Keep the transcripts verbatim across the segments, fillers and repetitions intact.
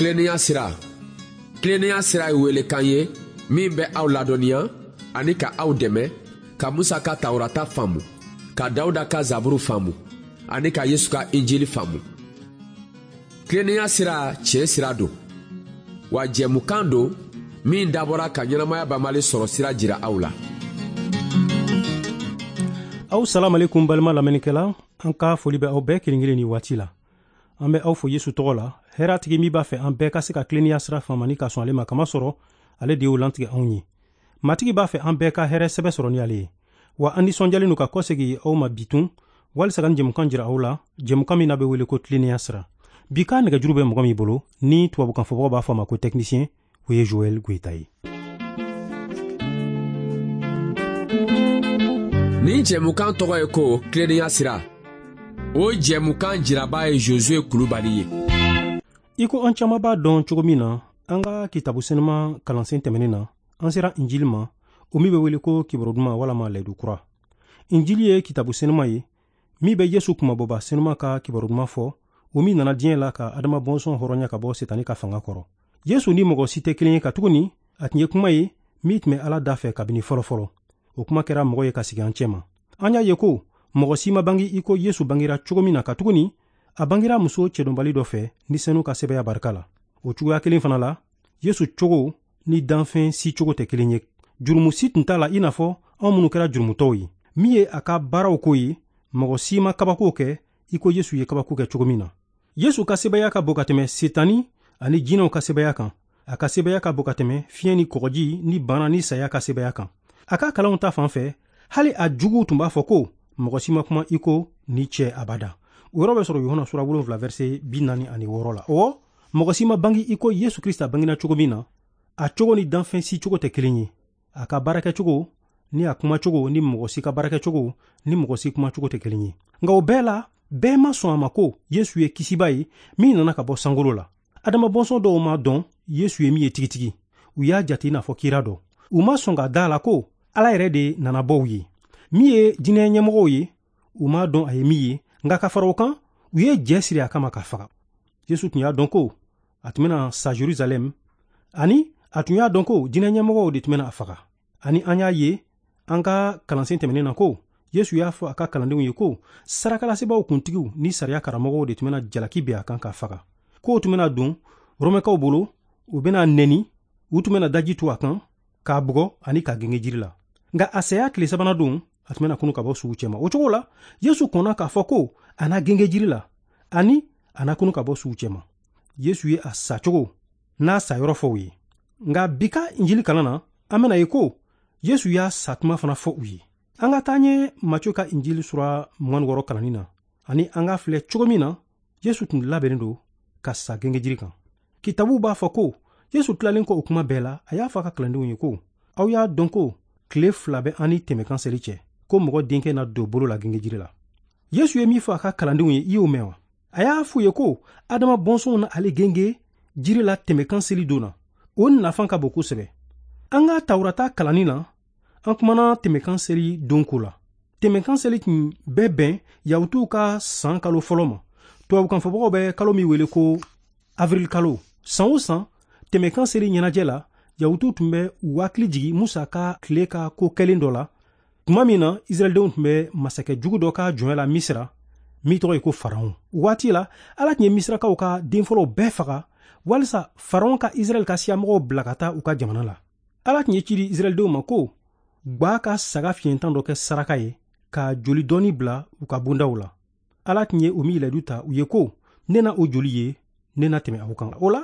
Tilennenya sira. Tilennenya sira ye welekan ye min bɛ aw ladɔnniya ani ka aw dɛmɛ ka Musa ka Tawurata faamu, ka Dawuda ka Zaburu faamu ani ka Yesu ka Injili faamu. Tilennenya sira tiɲɛ sira don, wa jɛmukan don min dabɔra ka ɲɛnamaya banbali sɔrɔ sira jira aw la. Aw salam alaikum balima lamɛnnikɛla, an ka foli bɛ aw bɛɛ kelen kelen ni waati la. An bɛ aw fo Yesu tɔgɔ la, hɛrɛtigi min b'a fɛ an bɛɛ ka se ka tilennenya sira faamu ani ka sɔn ale ma, kamasɔrɔ ale de y'o lantigɛ anw ye. Matigi b'a fɛ an bɛɛ ka hɛrɛ sɛbɛ sɔrɔ ni ale ye. Wa an nisɔndiyalen don ka kɔsegin aw ma bi tun, walisa ka nin jɛmukan jira aw la, jɛmukan min n'a bɛ wele ko tilennenya sira. Bi ka nɛgɛjuru bɛ mɔgɔ min bolo, ni tubabukan fɔbagaw b'a fɔ a ma ko technicien, o ye Joël Goïta ye. Nin jɛmukan tɔgɔ ye ko tilennenya sira. O jɛmukan jiraba ye Josué Kulubali ye. I ko an caman b'a dɔn cogo min na, an ka kitabu senuma kalansen tɛmɛnen na, an sera Injili ma, o min bɛ wele ko kibaru duman walama layidu kura. Injili ye kitabu senuma ye min bɛ Yesu kunmabɔba senuma ka kibaru duman fɔ, o min nana diɲɛ la ka Adama bɔnsɔn hɔrɔnya ka bɔ Setani ka fanga kɔrɔ. Yesu ni mɔgɔ si tɛ kelen ye katuguni a tun ye kuma ye min tun bɛ Ala da fɛ kabini fɔlɔ-fɔlɔ. O kuma kɛra mɔgɔ ye ka sigi an cɛma. An y'a ye ko mɔgɔ si ma bange i ko Yesu bangera cogo min na, katuguni a bangera muso cɛdɔnbali dɔ fɛ ni senu ka sɛbɛya barika la. O cogoya kelen fana la, Yesu cogo ni danfɛn si cogo tɛ kelen ye. Jurumu si tun t'a la i n'a fɔ anw minnu kɛra jurumutɔw ye. Min ye a ka baaraw ko ye, mɔgɔ si ma kabako kɛ i ko Yesu ye kabako kɛ cogo min na. Yesu ka sɛbɛya ka bon ka tɛmɛ Setani ani jinɛw ka sɛbɛya kan. A ka sɛbɛya ka bon ka tɛmɛ fiɲɛ ni kɔgɔji ni bana ni saya ka sɛbɛya kan. A ka kalanw ta fan fɛ, hali a juguw tun b'a fɔ ko mɔgɔ si ma kuma i ko ni cɛ abada. O yɔrɔ bɛ sɔrɔ Yohana sura wolonwula verset bi naani ani wɔɔrɔ la. Ɔwɔ, mɔgɔ si ma bange i ko Yesu Krista bangena cogo min na, a cogo ni danfɛn si cogo tɛ kelen ye. A ka baarakɛcogo ni a kumacogo ni mɔgɔ si ka baarakɛcogo ni mɔgɔ si kumacogo tɛ kelen ye. Nka o bɛɛ la, bɛɛ ma sɔn a ma ko Yesu ye kisiba ye min nana ka bɔ sankolo la. Adama bɔnsɔn dɔw ma dɔn Yesu ye min ye tigitigi. U y'a jate i n'a fɔ kira dɔ. U ma sɔn ka da la ko Ala yɛrɛ de nana bɔ u ye. Min ye diinɛ ɲɛmɔgɔw ye, u m'a dɔn a ye min ye, nka ka fara o kan, u ye jɛ siri a kama ka faga. Yesu tun y'a dɔn ko a tun bɛna sa Jerusalɛm, ani a tun y'a dɔn ko diinɛ ɲɛmɔgɔw de tun bɛna a faga. Ani an y'a ye an ka kalansen tɛmɛnen na ko Yesu y'a fɔ a ka kalandenw ye ko sarakalasebaaw kuntigiw ni sariya karamɔgɔw de tun bɛna jalaki bin a kan ka faga. K'o tun bɛna don Romɛkaw bolo, u bɛna nɛni, u tun bɛna daji tu a kan, k'a bugɔ ani k'a genge jiri la. Nka a saya tile sabanan don, a tun bɛna kunu ka bɔ suw cɛma. O cogo la, Yesu kɔnna k'a fɔ ko a na genge jiri la ani a na kunu ka bɔ suw cɛma. Yesu ye a sacogo n'a sayɔrɔ fɔ u ye. Nka bi ka Injili kalan na, an bɛna ye ko Yesu y'a satuma fana fɔ u ye. An ka taa ɲɛ Matthieu ka Injili sura mugan ni wɔɔrɔ kalanni na, ani an ka filɛ cogo min na Yesu tun labɛnnen don ka sa genge jiri kan. Kitabu b'a fɔ ko Yesu tilalen kɔ o kuma bɛɛ la, a y'a fɔ a ka kalandenw ye ko aw y'a dɔn ko tile fila bɛ an ni tɛmɛkan seli cɛ, ko mɔgɔ denkɛ na don bolo la genge jiri la. Yesu ye min fɔ a ka kalandenw ye, i y'o mɛn wa? A y'a f'u ye ko Adama bɔnsɔnw na ale genge jiri la tɛmɛkan seli don na. O nafa ka bon kosɛbɛ. An ka Tawurata kalanni na, an kumana tɛmɛkan seli don ko la. Tɛmɛkan seli tun bɛ bɛn Yahutuw ka san kalo fɔlɔ ma. Tubabukanfɔbagaw bɛ kalo min wele ko avril kalo. San o san, tɛmɛkan seli ɲɛnajɛ la, Yahutuw tun bɛ u hakili jigin Musa ka tile ka ko kɛlen dɔ la, tuma min na Israɛldenw tun bɛ masakɛ jugu dɔ ka jɔnya la Misira, min tɔgɔ ye ko Faraon. O waati la, Ala tun ye Misirakaw ka den fɔlɔw bɛɛ faga walisa Faraon ka Israɛl ka siyamɔgɔw bila ka taa u ka jamana la. Ala tun ye ci di Israɛldenw ma ko gba ka saga fiɲɛtan dɔ kɛ saraka ye ka joli dɔɔni bila u ka bondaw la. Ala tun ye o min layidu ta u ye ko ne na o joli ye, ne na tɛmɛ aw kan. O la,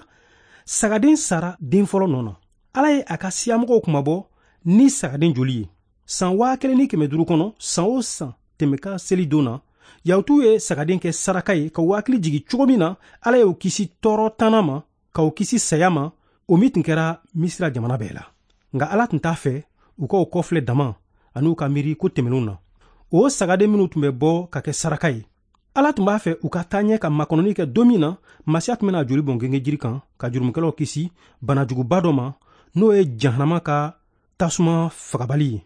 sagaden sara den fɔlɔ nɔ na. Ala ye a ka siyamɔgɔw kunmabɔ ni sagaden joli ye. San waa kelen ni kɛmɛ duuru kɔnɔ, san o san tɛmɛkan seli don na, Yahutuw ye sagaden kɛ saraka ye ka u hakili jigin cogo min na Ala y'u kisi tɔɔrɔ tanna ma, ka u kisi saya ma, o min tun kɛra Misira jamana bɛɛ la. Nka Ala tun t'a fɛ u ka o kɔfilɛ dama ani u ka miiri ko tɛmɛnenw na. O sagaden minnu tun bɛ bɔ ka kɛ saraka ye, Ala tun b'a fɛ u ka taa ɲɛ ka makɔnɔni kɛ don min na Masiya tun bɛna joli bɔn genge jiri kan ka jurumukɛlaw kisi banajuguba dɔ ma, n'o ye jahanama ka tasuma fagabali ye.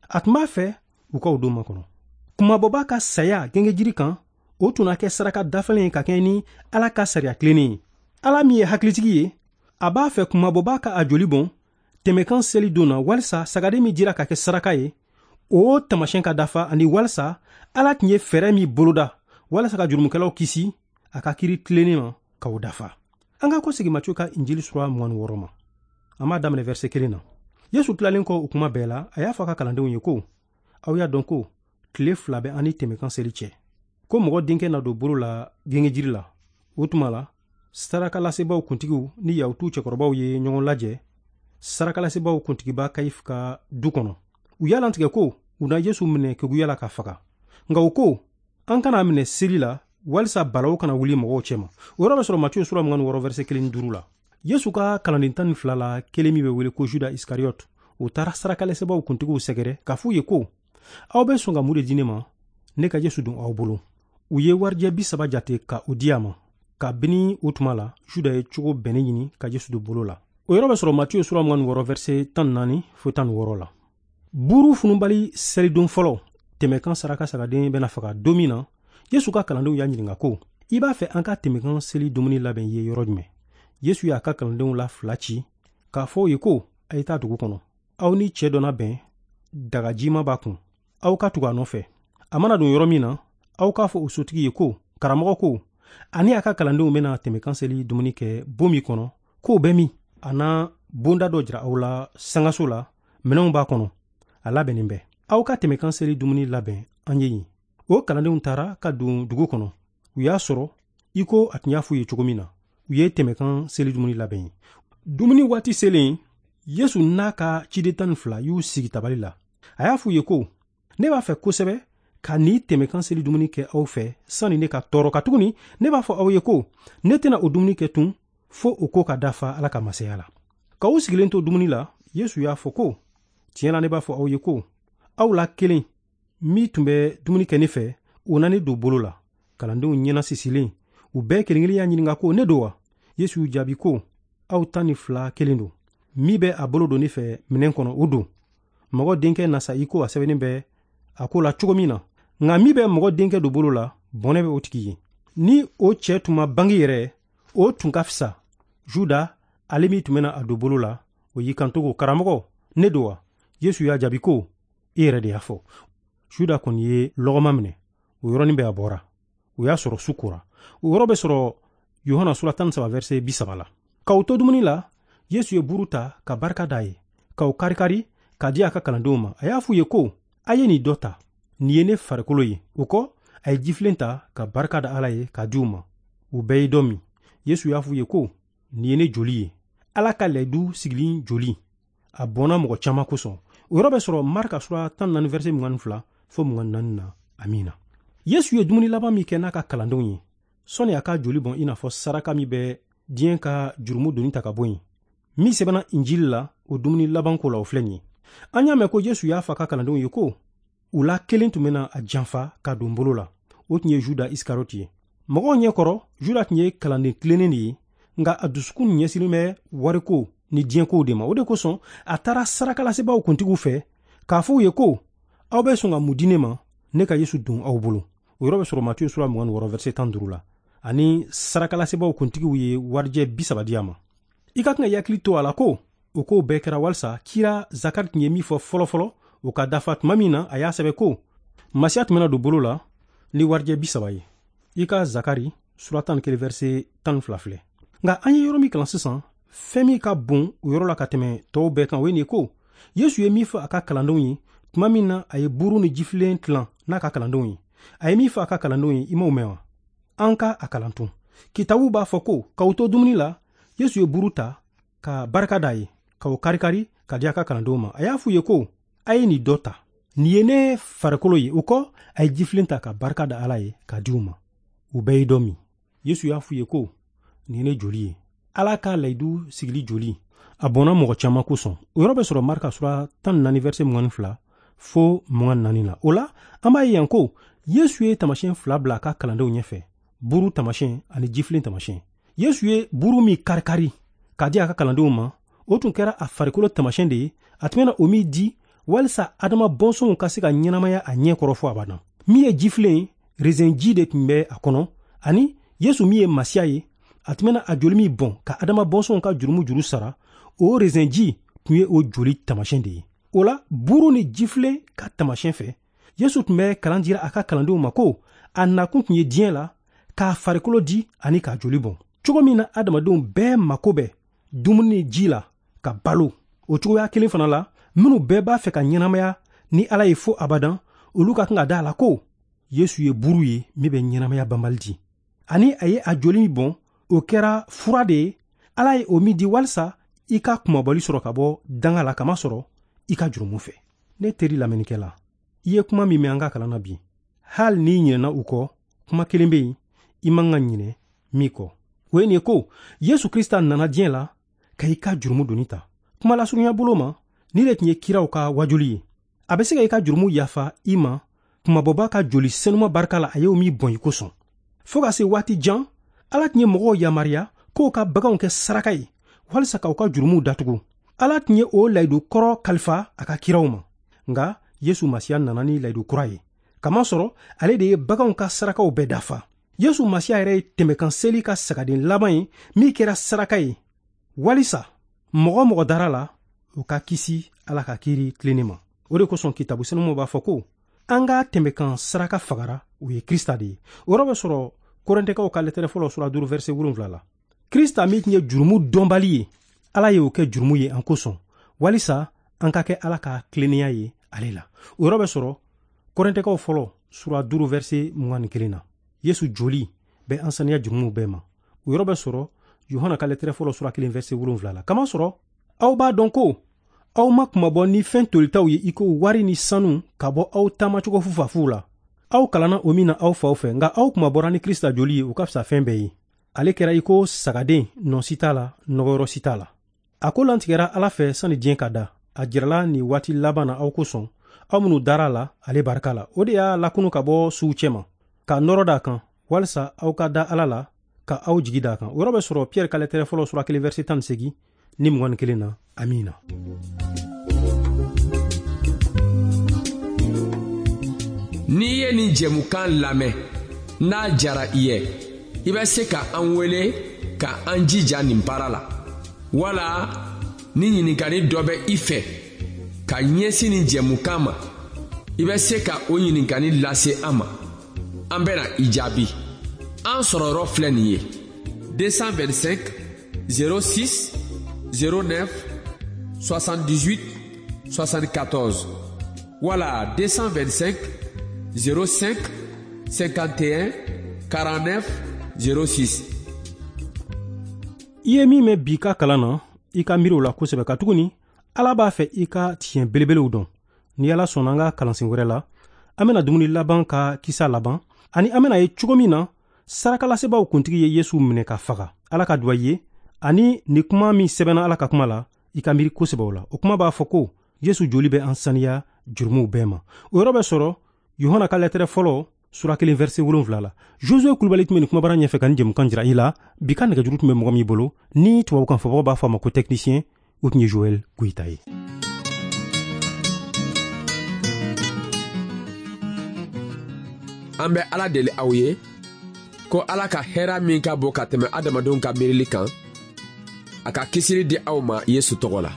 A tun b'a fɛ u ka o don makɔnɔ. Kunmabɔba ka saya genge jiri kan, o tun na kɛ saraka dafalen ye ka kɛɲɛ ni Ala ka sariya tilennen ye. Ala min ye hakilitigi ye, a b'a fɛ kunmabɔbaa ka a joli bɔn tɛmɛkan seli don na walisa sagaden min dira ka kɛ saraka ye, o taamasiyɛn ka dafa, ani walisa Ala tun ye fɛɛrɛ min boloda walasa ka jurumukɛlaw kisi a ka kiri tilennen ma ka o dafa. An ka kɔsegin Matiyu ka Injili sura mugan ni wɔɔrɔ ma. An b'a daminɛ verset kelen na. Yesu tilalen kɔ o kuma bɛɛ la, a y'a fɔ a ka kalandenw ye ko, aw y'a dɔn ko tile fila bɛ an ni tɛmɛkan seli cɛ, ko mɔgɔ denkɛ na don bolo la gengejiri la. O tuma la, sarakalasebaaw kuntigiw ni Yahutuw cɛkɔrɔbaw ye ɲɔgɔn lajɛ sarakalasebaaw kuntigiba Kayifu ka du kɔnɔ. U y'a latigɛ ko u na Yesu minɛ keguya la ka faga. Nka u ko, an kana minɛ seli la walisa balawu kana wuli mɔgɔw cɛma. O yɔrɔ bɛ sɔrɔ Matiyu sura mugan ni wɔɔrɔ verset kelen ni duuru la. Yesu ka kalanden tan ni fila la kelen min bɛ wele ko Juda Isikariyote, o taara sarakalasebaaw kuntigiw sɛgɛrɛ k'a f'u ye ko, aw bɛ sɔn ka mun de di ne ma, ne ka Yesu don aw bolo? U ye warijɛ bi saba jate ka o di a ma. Kabini o tuma la, Juda ye cogo bɛnnen ɲini ka Yesu don bolo la. O yɔrɔ bɛ sɔrɔ Matiyu sura mugan ni wɔɔrɔ verset tan ni naani fo tan ni wɔɔrɔ la. Buru fununbali selidon fɔlɔ, tɛmɛkan saraka sagaden bɛna faga don min na, Yesu ka kalandenw y'a ɲininka ko, i b'a fɛ an ka tɛmɛkan seli dumuni labɛn ye yɔrɔ jumɛn? Yesu y'a ka kalandenw la fila ci k'a fɔ u ye ko, a ye taa dugu kɔnɔ. Aw ni cɛ dɔ na bɛn, dagajima b'a kun. Aw ka tugu a nɔfɛ. A mana don yɔrɔ min na, aw k'a fɔ o sotigi ye ko, karamɔgɔ ko, ani a ka kalandenw bɛna tɛmɛkan seli dumuni kɛ bon min kɔnɔ, k'o bɛ min? A na bonda dɔ jira aw la sangaso la, minɛnw b'a kɔnɔ, a labɛnnen bɛ. Aw ka tɛmɛkan seli dumuni labɛn an ye yen. O kalandenw taara ka don dugu kɔnɔ. U y'a sɔrɔ i ko a tun y'a f'u ye cogo min na. U ye tɛmɛkan seli dumuni labɛn ye. Dumuni waati selen, Yesu n'a ka ciden tan ni fila y'u sigi tabali la. A y'a f'u ye ko, ne b'a fɛ kosɛbɛ ka nin tɛmɛkan seli dumuni kɛ aw fɛ sani ne ka tɔɔrɔ, katuguni ne b'a fɔ aw ye ko ne tɛna o dumuni kɛ tun fo o ko ka dafa Ala ka masaya la. K'aw sigilen to dumuni la, Yesu y'a fɔ ko, tiɲɛ la ne b'a fɔ aw ye ko, aw la kelen min tun bɛ dumuni kɛ ne fɛ, o na ne don bolo la. Kalandenw ɲɛna sisilen, u bɛɛ kelen kelen y'a ɲininka ko, ne don wa? Yesu y'u jaabi ko, aw tan ni fila kelen don. Min bɛ a bolo don ne fɛ minɛn kɔnɔ, o don. Mɔgɔ denkɛ na sa i ko a sɛbɛnnen bɛ a ko la cogo min na. Nka min bɛ mɔgɔ denkɛ don bolo la, bɔnɛ bɛ o tigi ye. Ni o cɛ tun ma bange yɛrɛ, o tun ka fisa. Juda, ale min tun bɛna a don bolo la, o y'i kanto ko, karamɔgɔ, ne don wa? Yesu y'a jaabi ko, e yɛrɛ de y'a fɔ. Juda kɔni ye lɔgɔma minɛ, o yɔrɔnin bɛɛ a bɔra. O y'a sɔrɔ su kora. O yɔrɔ bɛ sɔrɔ Yohana sura tan ni saba verset bi saba la. K'aw to dumuni la, Yesu ye buru ta ka barika d'a ye, k'aw karikari k'a di a ka kalandenw ma. A y'a f'u ye ko, a ye nin dɔ ta, nin ye ne farikolo ye. O kɔ, a ye jifilen ta ka barika da Ala ye k'a di u ma. U bɛɛ ye dɔ min. Yesu y'a f'u ye ko, nin ye ne joli ye, Ala ka layidu sigilen joli. A bɔnna mɔgɔ caman kosɔn. O yɔrɔ bɛ sɔrɔ Marka sura tan ni naani verset mugan ni fila fo mugan ni naani na. Amina. Yesu ye dumuni laban min kɛ n'a ka kalandenw ye, sɔnni a ka joli bɔn i n'a fɔ saraka min bɛ diɲɛ ka jurumu doni ta ka bɔ yen, min sɛbɛnna Injili la, o dumuni laban ko la, o filɛ nin ye. An y'a mɛn ko Yesu y'a fɔ a ka kalandenw ye ko, u la kelen tun bɛna a janfa ka don bolo la. O tun ye Juda Isikariyote ye. Mɔgɔw ɲɛkɔrɔ, Juda tun ye kalanden tilennen de ye, nka a dusukun ɲɛsinnen bɛ wariko ni diɲɛkow de ma. O de kosɔn a taara sarakalasebaaw kuntigiw fɛ k'a fɔ u ye ko, aw bɛ sɔn ka mun di ne ma, ne ka Yesu don aw bolo? O yɔrɔ bɛ sɔrɔ Matiyu sura mugan ni wɔɔrɔ verset tan duuru la. Ani sarakalasebaaw kuntigiw ye warijɛ bi saba di a ma. I ka kan ka hakili to a la ko o kow bɛɛ kɛra walisa kira Zakari tun ye min fɔ fɔlɔfɔlɔ, o ka dafa tuma min na a y'a sɛbɛn ko, Masiya tun bɛna don bolo la ni warijɛ bi saba ye. I ka Zakari sura tan ni kelen verset tan ni fila filɛ. Nka an ye yɔrɔ min kalan sisan, fɛn min ka bon o yɔrɔ la ka tɛmɛ tɔw bɛɛ kan, o ye nin ye ko, Yesu ye min fɔ a ka kalandenw ye tuma min na a ye buru ni jifilen tilan n'a ka kalandenw ye. A ye min fɔ a ka kalandenw ye, i m'o mɛn wa? An ka a kalan tun. Kitabu b'a fɔ ko, k'aw to dumuni la, Yesu ye buru ta ka barika d'a ye, k'o karikari ka di a ka kalandenw ma. A y'a f'u ye ko, a ye nin dɔ ta, nin ye ne farikolo ye. O kɔ, a ye jifilen ta ka barika da Ala ye k'a di u ma. U bɛɛ ye dɔ min. Yesu y'a f'u ye ko, nin ye ne joli ye, Ala ka layidu sigili joli. A bɔnna mɔgɔ caman kosɔn. O yɔrɔ bɛ sɔrɔ Marka sura tan ni naani verset mugan ni fila fo mugan ni naani la. O la, an b'a ye yan ko Yesu ye taamasiyɛn fila bila a ka kalandenw ɲɛfɛ, buru taamasiyɛn ani jifilen taamasiyɛn. Yesu ye buru min karikari k'a di a ka kalandenw ma, o tun kɛra a farikolo taamasiyɛn de ye, a tun bɛna o min di walisa Adama bɔnsɔnw ka se ka ɲɛnamaya a ɲɛ kɔrɔ fo abada. Min ye jifilen ye, rezɛnji de tun bɛ a kɔnɔ, ani Yesu min ye Masiya ye, A tun bɛna a joli min bɔn ka Adama bɔnsɔnw ka jurumu juru sara, o rezɛnji tun ye o joli taamasiyɛn de ye. O la, buru ni jifilen ka taamasiyɛn fɛ, Yesu tun bɛ kalan dira a ka kalandenw ma ko a nakun tun ye diɲɛ la k'a farikolo di ani k'a joli bɔn. Cogo min na adamadenw bɛɛ mako bɛ dumuni ni ji la ka balo, o cogoya kelen fana la, minnu bɛɛ b'a fɛ ka ɲɛnamaya ni Ala ye fo abadan, olu ka kan ka da a la ko Yesu ye buru ye min bɛ ɲɛnamaya banbali di, ani a ye a joli min bɔn, o kɛra fura de ye Ala ye o min di walisa i ka kunmabɔli sɔrɔ ka bɔ danga la, kamasɔrɔ i ka jurumu fɛ. Ne teri lamɛnnikɛla, i ye kuma min mɛn an ka kalan na bi, hali n'i ɲinɛna u kɔ, kuma kelen bɛ yen i man ka ɲinɛ min kɔ, o ye nin ye ko Yesu Krista nana diɲɛ la ka i ka jurumu doni ta. Kuma lasurunya bolo ma, ni de tun ye kiraw ka wajuli ye. A bɛ se ka i ka jurumu yafa i ma kunmabɔba ka joli senuma barika la, a y'o min bɔn i kosɔn. Fo ka se waati jan, Ala tun ye mɔgɔw yamaruya k'o ka baganw kɛ saraka ye walisa k'aw ka jurumuw datugu. Ala tun ye o layidu kɔrɔ kalifa a ka kiraw ma, nka Yesu Masiya nana ni layidu kura ye, kamasɔrɔ ale de ye baganw ka sarakaw bɛɛ dafa. Yesu Masiya yɛrɛ ye tɛmɛkan seli ka sagaden laban ye min kɛra saraka ye walisa mɔgɔ mɔgɔ dara la, o ka kisi Ala ka kiiri tilennen ma. O de kosɔn kitabu senumaw b'a fɔ ko an ka tɛmɛkan saraka fagara, o ye Krista de ye. O yɔrɔ bɛ sɔrɔ Korintɛkaw ka lɛtɛrɛ fɔlɔ sura duuru verset wolonwula la. Krista min tun ye jurumu dɔnbali ye, Ala ye o kɛ jurumu ye an kosɔn, walisa an ka kɛ Ala ka tilennenya ye ale la. O yɔrɔ bɛ sɔrɔ Korintɛkaw fɔlɔ sura duuru verset mugan ni kelen na. Yesu joli bɛ an saniya jurumuw bɛɛ ma. O yɔrɔ bɛ sɔrɔ Yohana ka lɛtɛrɛ fɔlɔ sura kelen verset wolonwula la. Kamasɔrɔ aw b'a dɔn ko aw ma kunmabɔ ni fɛn tolitaw ye i ko wari ni sanu ka bɔ aw taamacogo fufafuw la. Aw kalanna o min na aw faw fɛ, nka aw kunmabɔra ni Krista joli ye, o ka fisa fɛn bɛɛ ye. Ale kɛra i ko sagaden, nɔ si t'a la, nɔgɔyɔrɔ si t'a la. A ko lantigɛra Ala fɛ sani diɲɛ ka da. A jirala nin waati laban na aw kosɔn, aw minnu dara la ale barika la. O de y'a lakunu ka bɔ suw cɛma, ka nɔrɔ d'a kan, walisa aw ka da Ala la, ka aw jigi d'a kan. O yɔrɔ bɛ sɔrɔ Piyɛri ka lɛtɛrɛ fɔlɔ sura kelen verset tan ni seegin ni mugan ni kelen na. Amiina. N'i ye nin jɛmukan lamɛn, n'a jara i ye, i bɛ se ka an wele ka an jija nin baara la, wala ni ɲininkali dɔ bɛ i fɛ ka ɲɛsin nin jɛmukan ma, i bɛ se ka o ɲininkali lase an ma. An bɛna i jaabi. An sɔrɔ yɔrɔ filɛ nin ye: deux cent vingt-cinq zéro six zéro neuf soixante-dix-huit soixante-quatorze wala deux cent vingt-cinq zéro cinq cinquante et un quarante-neuf zéro six. I ye min mɛn bi ka kalan na, i ka miiri o la kosɛbɛ, katuguni Ala b'a fɛ i ka tiɲɛ belebelew dɔn. Ni Ala sɔnna, an ka kalansen wɛrɛ la, an bɛna dumuni laban ka kisa laban, ani an bɛna ye cogo min na sarakalasebaaw kuntigi ye Yesu minɛ ka faga. Ala ka duwa ye, ani ni kuma min sɛbɛnna Ala ka kuma la, i ka miiri kosɛbɛ o la. O kuma b'a fɔ ko Yesu joli bɛ an saniya jurumuw bɛɛ ma. O yɔrɔ bɛ sɔrɔ Yohana ka lɛtɛrɛ fɔlɔ sura kelen verset wolonwula la. Josue Kulubali tun bɛ nin kumabara ɲɛfɛ ka nin jɛmukan jira i la. Bi ka nɛgɛjuru tun bɛ mɔgɔ min bolo, ni tubabukan fɔbagaw b'a fɔ a ma ko technicien, o tun ye Joël Goyita ye. An bɛ Ala deli aw ye ko Ala ka hɛrɛ min ka bon ka tɛmɛ adamadenw ka miirili kan, a ka kisili di aw ma Yesu tɔgɔ la.